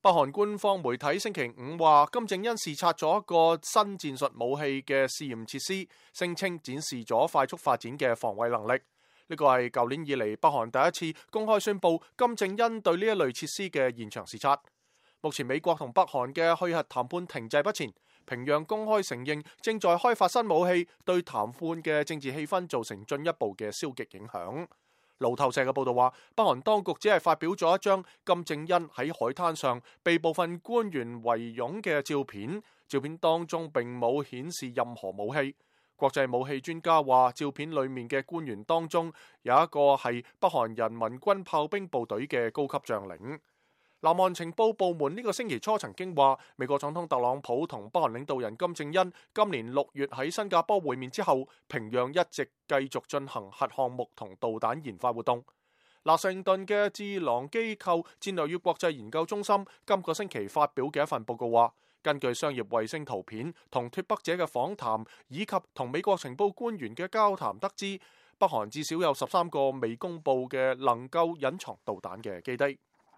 北韓官方媒體星期五話，金正恩視察咗一個新戰術武器嘅試驗設施，聲稱展示咗快速發展嘅防衛能力。呢個係舊年以嚟北韓第一次公開宣布金正恩對呢一類設施嘅現場視察。目前美國同北韓嘅去核談判停滯不前，平壤公開承認正在開發新武器，對談判嘅政治氣氛造成進一步嘅消極影響。路透社嘅報道話，北韓當局只係發表咗一張金正恩喺海灘上被部分官員圍擁嘅照片，照片當中並冇顯示任何武器。國際武器專家話，照片裡面嘅官員當中有一個係北韓人民軍炮兵部隊嘅高級將領。南韓情報部門呢個星期初曾經話，美國總統特朗普同北韓領導人金正恩今年6月喺新加坡會面之後，平壤一直繼續進行核項目同導彈研發活動。華盛頓嘅智囊機構戰略與國際研究中心今個星期發表嘅一份報告話，根據商業衛星圖片同脫北者嘅訪談以及同美國情報官員嘅交談得知，北韓至少有13個未公佈嘅能夠隱藏導彈嘅基地。